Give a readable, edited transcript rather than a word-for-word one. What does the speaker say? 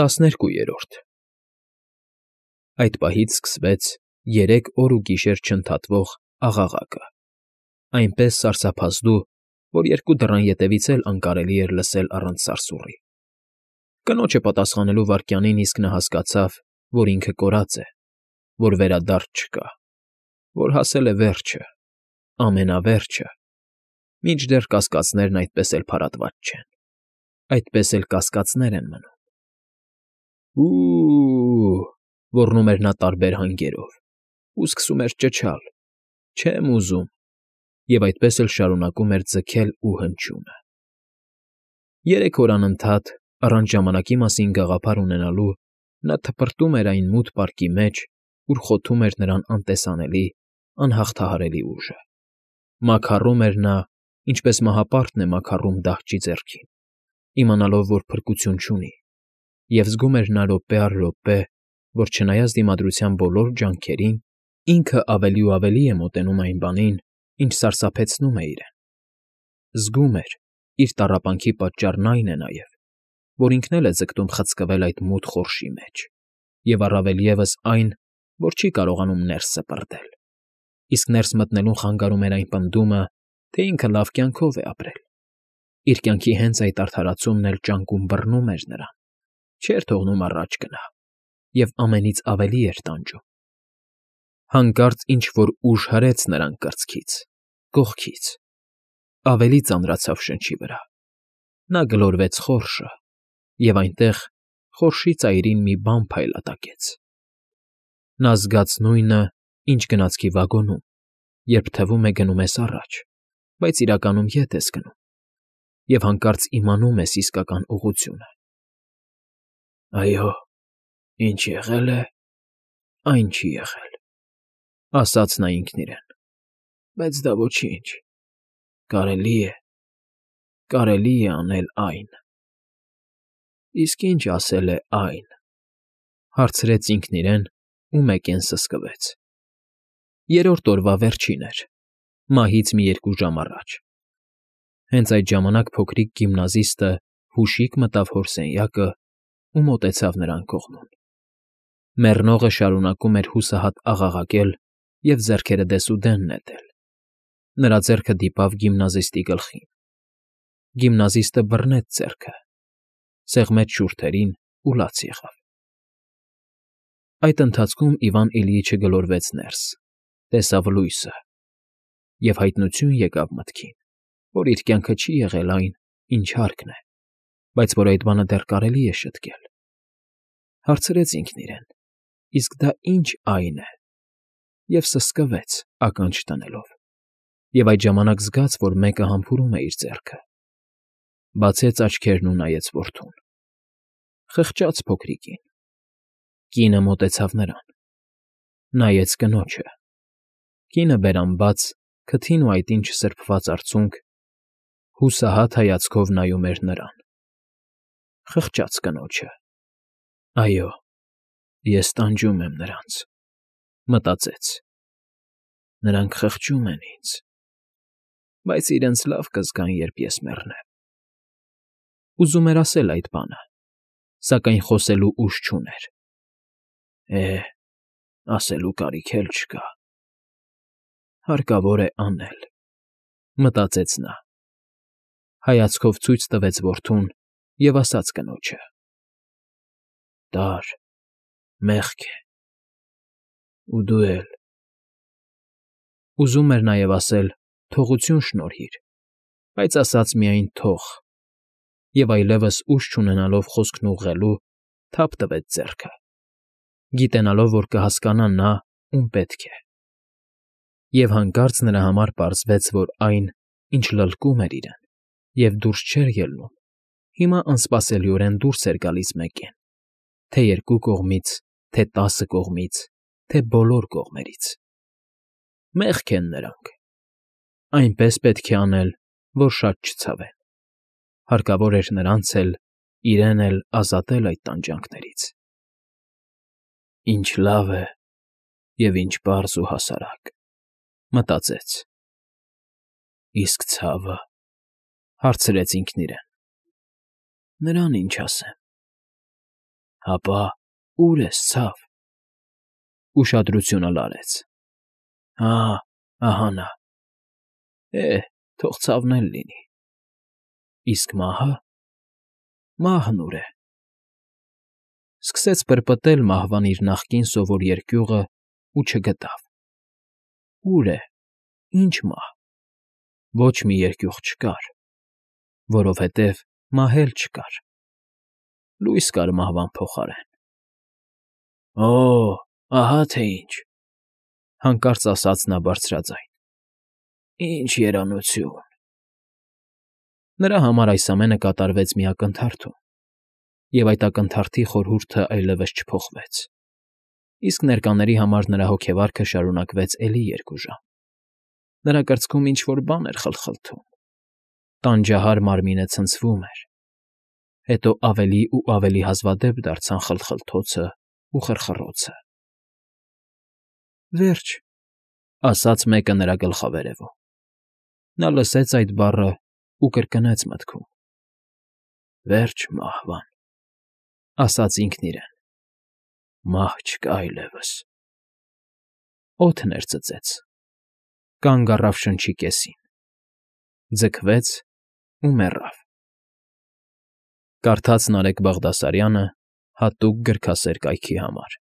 12-րդ Այդ պահից սկսվեց 3 օր ու գիշեր չընդհատվող աղաղակը, այնպես սարսափազդու, որ երկու դռան ետևից էլ անկարելի էր լսել առանց սարսուռի։ Կնոջը պատասխանելու վայրկյանին իսկ նա հասկացավ, որ ինքը կորած է, որ վերադարձ չկա, որ հասել է վերջը, ամենավերջը, մինչդեռ կասկածներն այդպես էլ փարատված չեն, այդպես էլ կասկածներ են մնում։ Ու՜, ոռնում էր նա տարբեր հանգերով, ու սկսում էր ճչալ. չեմ ուզում, և այդպես էլ շարունակում էր ձգել ու հնչյունը։ 3 օր անընդհատ, առանց ժամանակի մասին գաղափար ունենալու, նա թփրտում էր այն մութ պարկի մեջ, ուր խոթում էր նրան անտեսանելի, անհաղթահարելի ուժը։ Մաքառում էր նա, ինչպես մահապարտն է մաքառում դահճի ձեռքին, իմանալով, որ փրկություն չունի, և զգում էր նա րոպե առ րոպե, որ չնայած դիմադրության բոլոր ջանքերին, ինքը ավելի ու ավելի է մոտենում այն բանին, ինչ սարսափեցնում է իրեն։ Զգում էր, իր տառապանքի պատճառն այն է նաև, որ ինքն էլ է ձգտում խցկվել այդ մութ խորշի մեջ, և առավել ևս այն, որ չի կարողանում ներս սպրտել, իսկ ներս մտնելուն խանգարում էր այն պնդումը, թե ինքը լավ կյանքով է ապրել։ Իր կյանքի հենց այդ արդարացումն էլ ճանկում բռնում էր նրան, չէր թողնում առաջ գնա, և ամենից ավելի էր տանջում։ Հանկարծ ինչ֊որ ուժ հրեց նրան կրծքից, կողքից, ավելի ծանրացավ շնչի վրա։ Նա գլորվեց խորշը, և այնտեղ խորշի ծայրին մի բան փայլատակեց։ Նա զգաց նույնը, ինչ գնացքի վագոնում, երբ թվում է գնում ես առաջ, բայց իրականում ետ ես գնում, և հանկարծ իմանում ես իսկական ուղղությունը։ «Այո, ինչ եղել է, այն չի եղել,֊ ասաց նա ինքն իրեն,֊ բայց դա ոչինչ, կարելի է անել այն»։ Իսկ ինչ ասել է այն,֊ հարցրեց ինքն իրեն ու մեկեն սսկվեց։ 3-րդ օրվա վերջին էր, մահից մի 2 ժամ առաջ։ Հենց այդ ժամանակ փոքրիկ գիմնազիստը հուշիկ մտավ հոր սենյակն ու մոտեցավ նրան կողմում։ Մեռնողը շարունակում էր հուսահատ աղաղակել և ձեռքերը դեսուդեն նետել։ Նրա ձեռքը դիպավ գիմնազիստի գլխին։ Գիմնազիստը բռնեց ձեռքը, սեղմեց շուրթերին ու լաց եղավ։ Այդ ընթացքում Իվան Իլյիչը գլորվեց ներս, տեսավ լույսը, և հայտնություն եկավ մտքին, որ իր կյանքը չի եղել այն, ինչ հարկն է, բայց որ այդ բանը դեռ կարելի է շտկել։ Հարցրեց ինքն իրեն. իսկ դա ի՞նչ այն է, և սսկվեց, ականջ դնելով, և այդ ժամանակ զգաց, որ մեկը համբուրում է իր ձեռքը։ Բացեց աչքերն ու նայեց որդուն։ Խղճաց փոքրիկին։ Կինը մոտեցավ նրան։ Նայեց կնոջը։ Կինը բերանբաց, քթին ու այտին չսրբված արցունք, հուսահատ հայացքով նայում էր նրան։ Խղճաց կնոջը։ «Այո, ես տանջում եմ նրանց,֊ մտածեց,֊ նրանք խղճում են ինձ, բայց իրենց լավ կզգան, երբ ես մեռնեմ»։ Ուզում էր ասել այդ բանը, սակայն խոսելու ուժ չուներ։ Ասելու կարիք էլ չկա։ Հարկավոր է անել,֊ մտածեց նա։ Հայացքով ցույց տվեց որդուն և ասաց կնոջը. «Տար, մեղք է, ու դու էլ»։ Ուզում էր նաև ասել. «Թողություն շնորհիր», բայց ասաց միայն «թող» և այլևս ուժ չունենալով խոսքն ուղղելու, թափ տվեց ձեռքը, գիտենալով, որ կհասկանա նա, ում պետք է։ Եվ հանկարծ նրա համար պարզվեց, որ այն, ինչ լլկում էր իրեն և դուրս չէր ելնում, հիմա անսպասելիորեն դուրս էր գալիս մեկեն, թե 2 կողմից, թե 10 կողմից, թե բոլոր կողմերից։ Մեղք են նրանք։ Այնպես պետք է անել, որ շատ չցավեն։ Հարկավոր էր նրանց էլ, իրեն էլ ազատել այդ տանջանքներից։ «Ինչ լավ է և ինչ պարզ ու հասարակ,֊ մտածեց։ Իսկ ցավը,֊ հարցրեց ինքն իրեն,֊ նրան ինչ ասեմ։ Հապա ուր ես, ցավ։ Ուշադրությունը լարեց։ Ահա նա։ Թող ցավն էլ լինի։ Իսկ մահը։ Մահն ուր է։ Սկսեց պրպտել մահվան իր նախկին սովոր երկյուղը ու չգտավ։ Ուր է, ինչ մահ։ Ոչ մի երկյուղ չկար, որովհետև մահ էլ չկար։ Լույս կար մահվան փոխարեն։ Ահա թե ինչ,֊ հանկարծ ասաց նա բարձրաձայն։ Ինչ երանություն… Նրա համար այս ամենը կատարվեց մի ակնթարթում, և այդ ակնթարթի խորհուրդն այլևս չփոխվեց, իսկ ներկաների համար նրա հոգեվարքը շարունակվեց էլի 2 ժամ։ Նրա կրծքում ինչ֊որ բան էր խլխլթում, տանջահար մարմինը ցնցվում էր, հետո ավելի ու ավելի հազվադեպ դարձան խլխլթոցն ու խռխռոցը։ Վերջ,֊ ասաց մեկը նրա գլխավերևում։ Նա լսեց այդ բառն ու կրկնեց մտքում. «Վերջ մահվան», ասաց ինքն իրեն, «մահ չկա այլևս»։ Օդն էր ծծեց, կանգ առավ շնչի կեսին, ձգվեց ու մեռավ։ Կարդաց Նարեկ Բաղդասարյանը հատուկ գրքասեր կայքի համար։